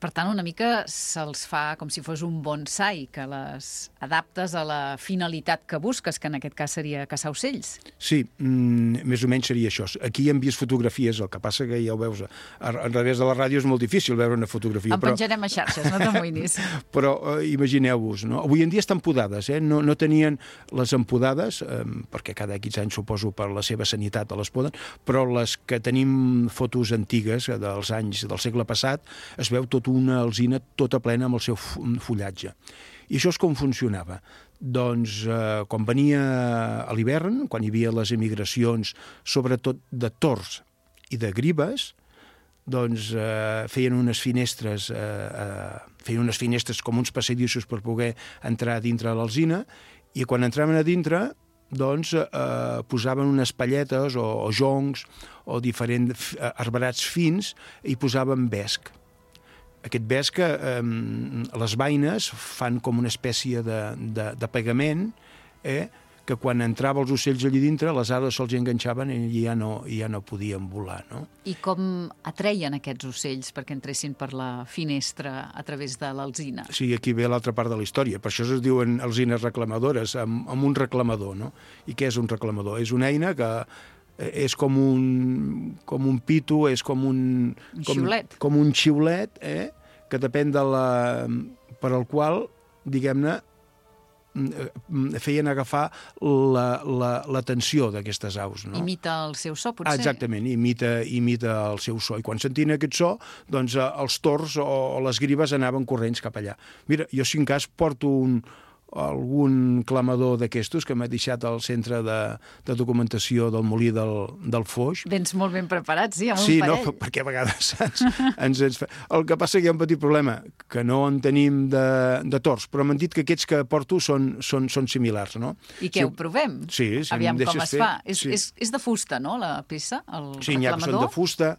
Per tant, una mica se'ls fa com si fos un bonsai, que les adaptes a la finalitat que busques, que en aquest cas seria caçar ocells. Sí, més o menys seria això. Aquí hem vist fotografies, el que passa que ja ho veus, a través de la ràdio és molt difícil veure una fotografia. En penjarem a xarxes, no t'amoïnis. Però imagineu-vos, no? Avui en dia estan podades, no tenien les empodades, perquè cada X anys suposo per la seva sanitat les poden, però les que tenim fotos antigues dels anys del segle passat, es veu tot una alzina tota plena amb el seu fullatge. I això és com funcionava. Doncs quan venia a l'hivern, quan hi havia les emigracions, sobretot de tords i de gribes, doncs feien unes finestres com uns passadissos per poder entrar dintre l'alzina, i quan entraven a dintre doncs posaven unes palletes o joncs o diferents arbrats fins i posaven vesc. Aquest vesc, les vaines fan com una espècie de pegament que quan entrava els ocells allí dintre, les ales se'ls enganxaven i ja no podien volar, no? I com atreien aquests ocells perquè entressin per la finestra a través de l'alzina? Sí, aquí ve l'altra part de la història. Per això es diuen alzines reclamadores, amb un reclamador, no? I què és un reclamador? És una eina que és com un pito, és com un xiulet. Com un xiulet, que depèn per al qual, diguem-ne, feien agafar l'atenció d'aquestes aus. No? Imita el seu so, potser? Exactament, imita el seu so. I quan sentien aquest so, doncs els tords o les gribes anaven corrents cap allà. Mira, jo si en cas porto algun clamador d'aquestos que m'ha deixat al centre de documentació del Molí del Foix. Vens molt ben preparats, sí, amb un parell. parell. Sí, perquè a vegades ens fa... El que passa que hi ha un petit problema, que no en tenim de tords, però m'han dit que aquests que porto són similars, no? I què, ho provem? Sí, si aviam em com deixes es fa. Sí. És de fusta, no, la peça, el reclamador? Sí, n'hi ha que són de fusta.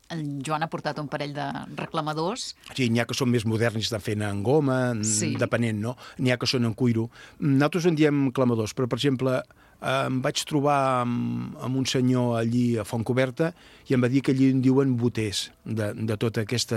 En Joan ha portat un parell de reclamadors. Sí, n'hi ha que són més moderns, de fent en goma, sí. Depenent, no? N'hi ha que són en cuiro. Nosaltres en diem clamadors, però, per exemple, em vaig trobar amb un senyor allí a Fontcoberta i em va dir que allí en diuen boters de totes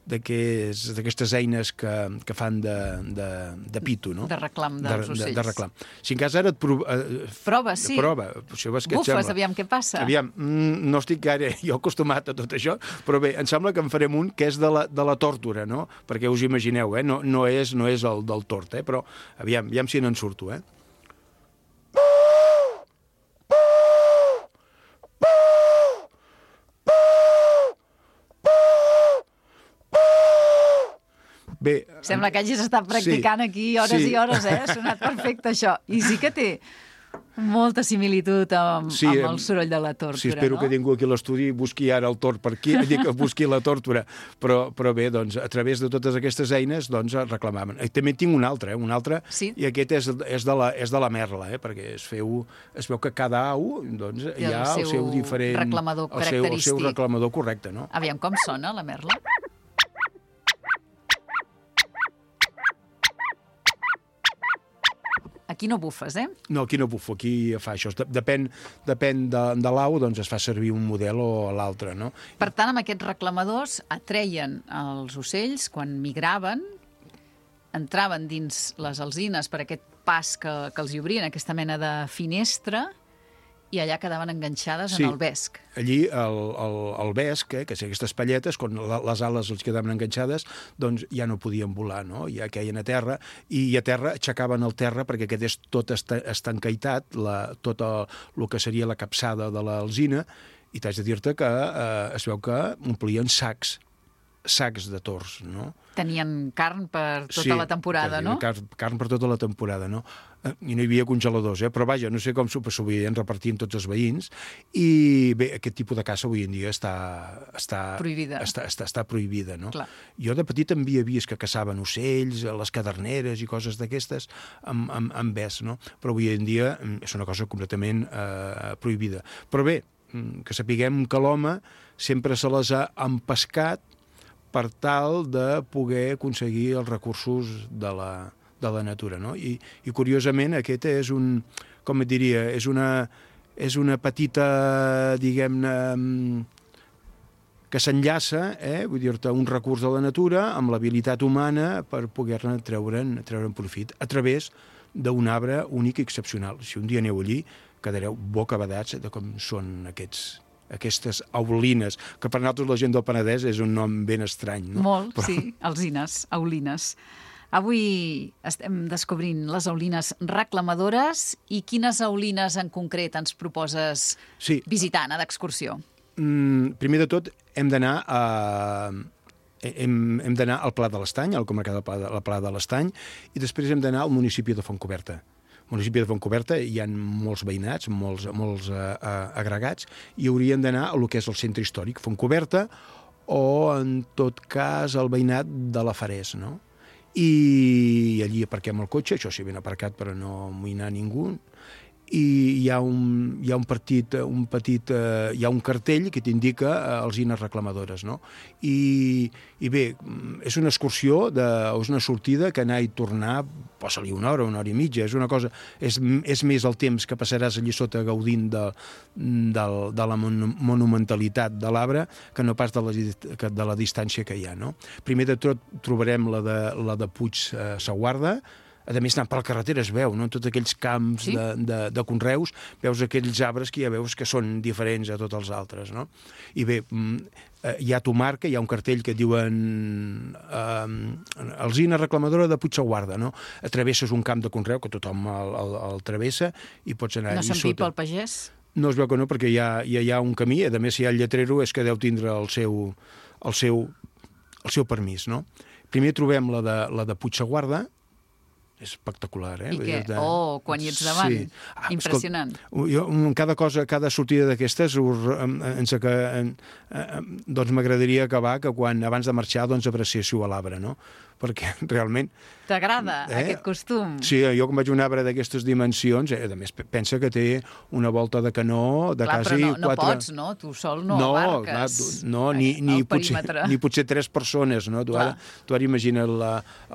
d'aquestes eines que fan de pito, no? De reclam dels ocells. De reclam. Si en cas ara et prova, sí. Prova. Bufes, aviam què passa. Aviam, no estic gaire jo acostumat a tot això, però bé, em sembla que en farem un que és de la tòrtora, no? Perquè us imagineu, no és el del tort, però aviam si n'en surto, Bé, sembla que hagis estat practicant aquí hores i hores, Ha sonat perfecte això. I sí que té molta similitud amb el soroll de la tórtora, sí, espero que ningú aquí a l'estudi busqui ara el tort per aquí, busqui la tórtora. Però bé, doncs, a través de totes aquestes eines, doncs, reclamaven. També tinc un altre, sí? I aquest és de la merla, perquè es veu que cada au doncs, hi ha el seu diferent... reclamador característic. El seu reclamador correcte, no? Aviam com sona la merla. Aquí no bufes, No, aquí no bufo, aquí fa això. Depèn de l'au, doncs es fa servir un model o l'altre, no? Per tant, amb aquests reclamadors atreien els ocells quan migraven, entraven dins les alzines per aquest pas que els hi obrien, aquesta mena de finestra, i allà quedaven enganxades en el vesc. Allí el vesc, que són aquestes palletes, quan les ales els quedaven enganxades, doncs ja no podien volar, no? Ja queien a terra, i a terra aixecaven el terra perquè quedés tot estancaitat, tot el que seria la capçada de l'alzina, i t'haig de dir-te que es veu que omplien sacs de tords, no? Tenien carn per tota la temporada, no? Sí, carn per tota la temporada, no? I no hi havia congeladors, però vaja, no sé com s'ho podien repartir en tots els veïns, i bé, aquest tipus de caça avui en dia està prohibida. Està prohibida, no? Clar. Jo de petit havia vist que caçaven ocells, les caderneres i coses d'aquestes amb vesc, no? Però avui en dia és una cosa completament prohibida. Però bé, que sapiguem que l'home sempre se les ha empescat per tal de poder aconseguir els recursos de la natura, no? I curiosament aquest és com et diria, és una petita, diguem-ne, que s'enllaça, vull dir-te, un recurs de la natura amb l'habilitat humana per poder-ne treure'n profit a través d'un arbre únic i excepcional. Si un dia aneu allí, quedareu bocabadats de com són aquestes aulines, que per nosaltres la gent del Penedès és un nom ben estrany, no? Molt, sí, alzines, aulines. Avui estem descobrint les aulines reclamadores, i quines aulines en concret ens proposes visitar, anar d'excursió? Primer de tot, hem d'anar al Pla de l'Estany, al comarca del Pla de l'Estany, i després hem d'anar al municipi de Fontcoberta. Al municipi de Fontcoberta hi ha molts veïnats, molts agregats, i haurien d'anar a lo que és el centre històric, Fontcoberta, o, en tot cas, el veïnat de la Farès, no? I allí aparquem el cotxe, això sí, ben aparcat per no amoïnar ningú, i hi ha un cartell que t'indica alzines reclamadores, no? I bé, és una excursió, és una sortida que anar i tornar posa-li una hora i mitja, és una cosa... És més el temps que passaràs allí sota gaudint de la monumentalitat de l'arbre que no pas de la distància que hi ha, no? Primer de tot trobarem la de Puig Saguarda. A més, anant per la carretera es veu, no? Tots aquells camps de conreus, veus aquells arbres que ja veus que són diferents a tots els altres, no? I bé, hi ha Tomarca, hi ha un cartell que diuen Alzina reclamadora de Puigsaguarda, no? Travesses un camp de conreu, que tothom el travessa, i pots anar allà sota. No s'empipa el pagès? No es veu que no, perquè hi ha un camí, a més, si hi ha el lletrero és que deu tindre el seu permís, no? Primer trobem la de Puigsaguarda, és espectacular, eh? I què? Quan hi ets davant. Sí. Impressionant. Escolta, cada sortida d'aquestes doncs m'agradaria acabar que abans de marxar apreciéssiu a l'arbre, no? Perquè realment... T'agrada aquest costum? Sí, jo quan vaig a un arbre d'aquestes dimensions, a més, pensa que té una volta de canó de quasi... Clar, però no pots, no? Tu sol no abarques ni potser 3 persones, no? Tu ara imagina't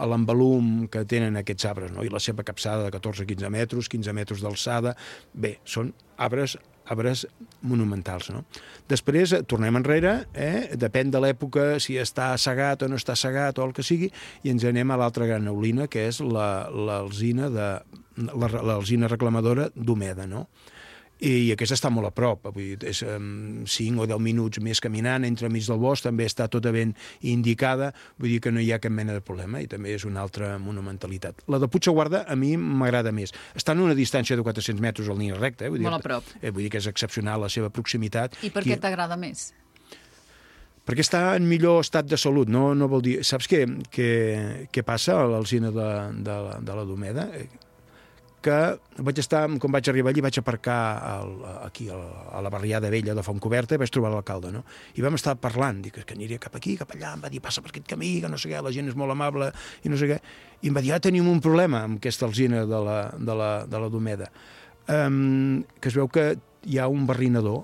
l'envolum que tenen aquests arbres, no? I la seva capçada de 14-15 metres, 15 metres d'alçada... Bé, són arbres monumentals, no? Després tornem enrere, depèn de l'època, si està segat o no està segat o el que sigui, i ens anem a l'altra gran neulina, que és l'alzina reclamadora d'Omeda, no? I aquesta està molt a prop, vull dir, és 5 o 10 minuts més caminant entre mig del bosc, també està tota ben indicada, vull dir que no hi ha cap mena de problema, i també és una altra monumentalitat. La de Puigsaguarda a mi m'agrada més. Està en una distància de 400 metres en línia recta, molt a prop. Vull dir que és excepcional la seva proximitat. I per què t'agrada més? Perquè està en millor estat de salut, no vol dir... Saps què passa a l'alzina de la Domeda? Que quan vaig arribar allí vaig aparcar aquí a la barriada vella de Fontcoberta i vaig trobar l'alcalde, no? I vam estar parlant, dic que aniria cap aquí, cap allà, em va dir passa per aquest camí, que no sé què, la gent és molt amable i no sé què, i em va dir tenim un problema amb aquesta alzina de la Domeda, que es veu que hi ha un barrinador.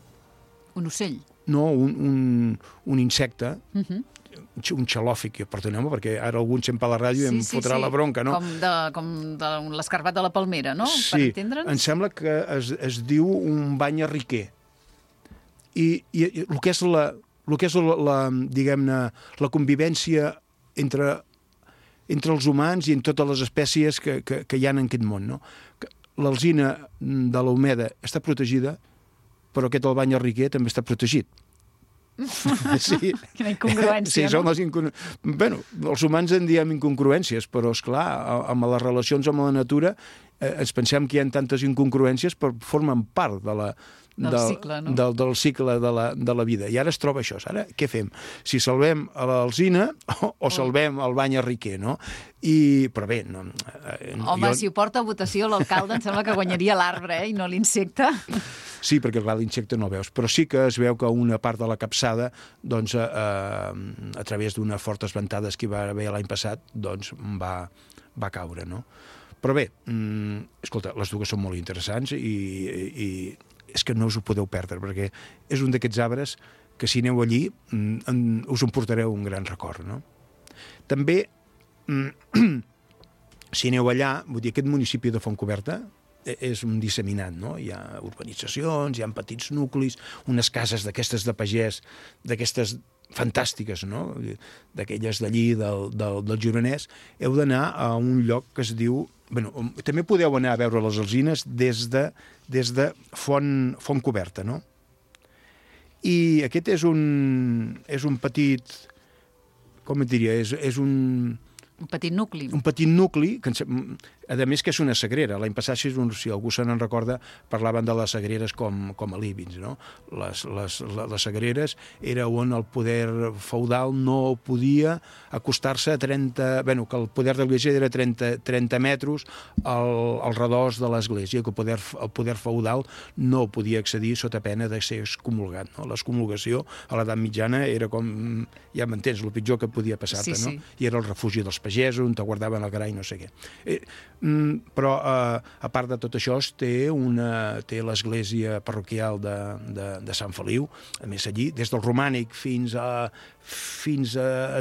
Un ocell? No, un insecte, un xalòfic, perdoneu-me, perquè ara algun sempre a la ràdio em fotrà la bronca, no? Com de l'escarbat de la palmera, no? Sí, em sembla que es diu un bany arriquer. I el que és diguem-ne, la convivència entre els humans i en totes les espècies que hi ha en aquest món, no? L'alzina de l'Omeda està protegida, però aquest el bany arriquer també està protegit. Sí. Quina incongruència, no? Bueno, els humans en diem incongruències, però, esclar, amb les relacions amb la natura ens pensem que hi ha tantes incongruències, però formen part del cicle de la vida. I ara es troba això. Ara, què fem? Si salvem a l'alzina o salvem el bany arriquer, no? Però bé... Home, si ho porta a votació l'alcalde, em sembla que guanyaria l'arbre, i no l'insecte. Sí, perquè clar, l'insecte no el veus, però sí que es veu que una part de la capçada, doncs, a través d'unes fortes ventades que hi va haver l'any passat, doncs, va caure, no? Però bé, escolta, les dues són molt interessants i és que no us ho podeu perdre, perquè és un d'aquests arbres que si aneu allí us en portareu un gran record, no? També, si aneu allà, vull dir, aquest municipi de Fontcoberta és un disseminat, no? Hi ha urbanitzacions, hi ha petits nuclis, unes cases d'aquestes de pagès, d'aquestes fantàstiques, no? D'aquelles d'allí, del Gironès. Heu d'anar a un lloc que es diu... Bueno, també podeu anar a veure les alzines des de Fontcoberta, no? I aquest és un petit... Com et diria? És un... Un petit nucli. Un petit nucli, que a més que és una sagrera. L'any passat, si algú se n'en recorda, parlaven de les sagreres com a líbins, no? Les sagreres era on el poder feudal no podia acostar-se a 30... Bueno, que el poder de l'església era 30 metres al redós de l'església, que el poder feudal no podia accedir sota pena de ser excomulgat, no? L'excomulgació a l'edat mitjana era com... Ja m'entens, el pitjor que podia passar-te, no? I era el refugi dels pagesos, on te guardaven el gra i no sé què. Però, a part de tot això, té l'església parroquial de Sant Feliu, a més allí, des del romànic fins a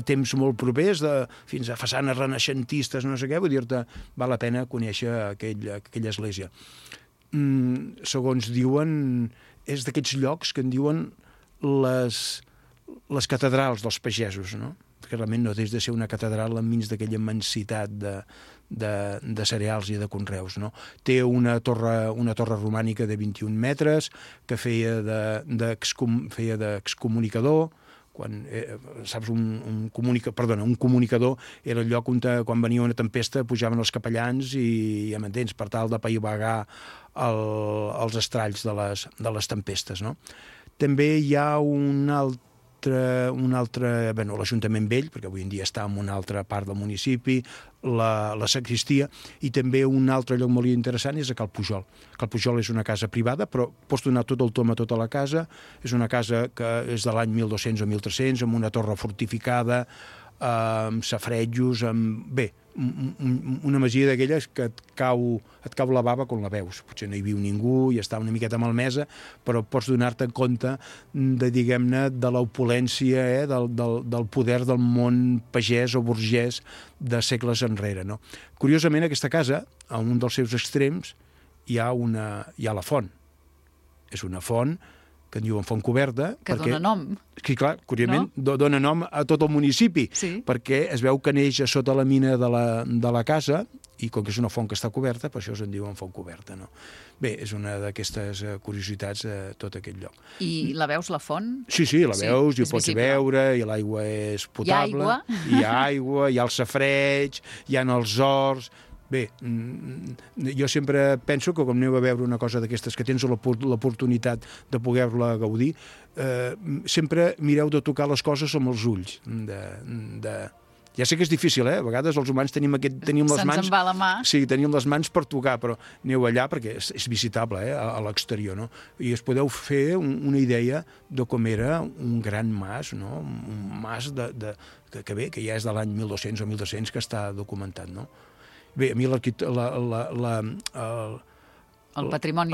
temps molt propers, fins a façanes renaixentistes, no sé què, vull dir-te, val la pena conèixer aquella església. Segons diuen, és d'aquests llocs que en diuen les catedrals dels pagesos, no? Perquè realment no des de ser una catedral enmig d'aquella immensitat de cereals i de conreus, no? Té una torre romànica de 21 metres que feia d'excomunicador. Saps, un comunicador era el lloc on quan venia una tempesta pujaven els capellans i ja m'entens, per tal de paivagar els estralls de les tempestes, no? També hi ha un altre, l'Ajuntament Vell, perquè avui en dia està en una altra part del municipi, la sagristia, i també un altre lloc molt interessant és a Cal Pujol. Cal Pujol és una casa privada, però pots donar tot el tom a tota la casa. És una casa que és de l'any 1200 o 1300, amb una torre fortificada, amb safaretjos, bé, una masia d'aquelles que et cau la bava quan la veus. Potser no hi viu ningú i està una miqueta malmesa, però pots donar-te compte de l'opulència, del poder del món pagès o burgès de segles enrere, no? Curiosament, aquesta casa, a un dels seus extrems, hi ha la font. És una font que en diuen font coberta. Que dona nom. Sí, clar, curiosament, dona nom a tot el municipi, perquè es veu que neix a sota la mina de la casa, i com que és una font que està coberta, per això se'n diuen font coberta, no? Bé, és una d'aquestes curiositats de tot aquest lloc. I la veus, la font? Sí, la veus, i ho pots veure, i l'aigua és potable. Hi ha aigua, hi ha el safareig, hi ha els horts. Bé, jo sempre penso que quan aneu a veure una cosa d'aquestes que tens l'oportunitat de poder-la gaudir, sempre mireu de tocar les coses amb els ulls. Ja sé que és difícil, a vegades els humans tenim les mans... Se'ns en va la mà. Sí, tenim les mans per tocar, però aneu allà perquè és visitable, a l'exterior, no? I us podeu fer una idea de com era un gran mas, no? Un mas que ja és de l'any 1200 o 1300 que està documentat, no? Bé, a mi el patrimoni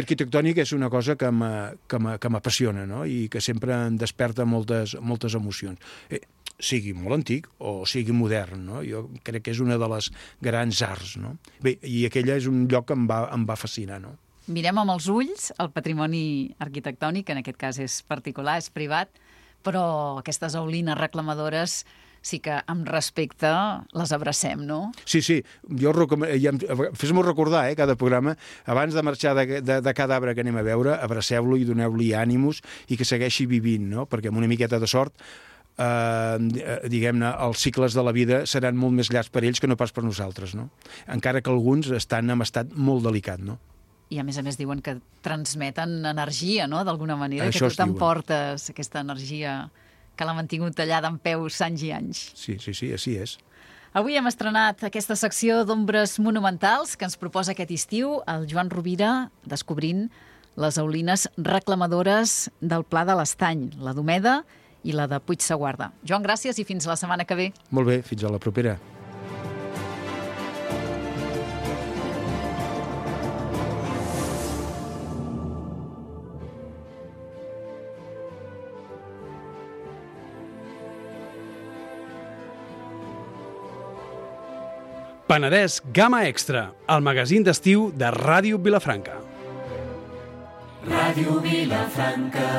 arquitectònic és una cosa que m'apassiona, no? I que sempre em desperta moltes emocions. Sigui molt antic o sigui modern, no? Jo crec que és una de les grans arts, no? Bé, i aquella és un lloc que em va fascinar, no? Mirem amb els ulls el patrimoni arquitectònic, que en aquest cas és particular, és privat, però aquestes aulines reclamadores sí que amb respecte les abracem, no? Sí, jo fes-m'ho recordar, cada programa, abans de marxar de cada arbre que anem a veure, abraceu-lo i doneu-li ànims i que segueixi vivint, no? Perquè amb una miqueta de sort, diguem-ne, els cicles de la vida seran molt més llargs per ells que no pas per nosaltres, no? Encara que alguns estan en estat molt delicat, no? I a més diuen que transmeten energia, no?, d'alguna manera, això que tu t'emportes aquesta energia que l'ha mantingut tallada en peus anys i anys. Sí, així és. Avui hem estrenat aquesta secció d'ombres monumentals que ens proposa aquest estiu el Joan Rovira, descobrint les aulines reclamadores del Pla de l'Estany, la d'Omeda i la de Puigseguarda. Joan, gràcies i fins la setmana que ve. Molt bé, fins a la propera. Penedès Gamma Extra, el magazín d'estiu de Ràdio Vilafranca. Ràdio Vilafranca.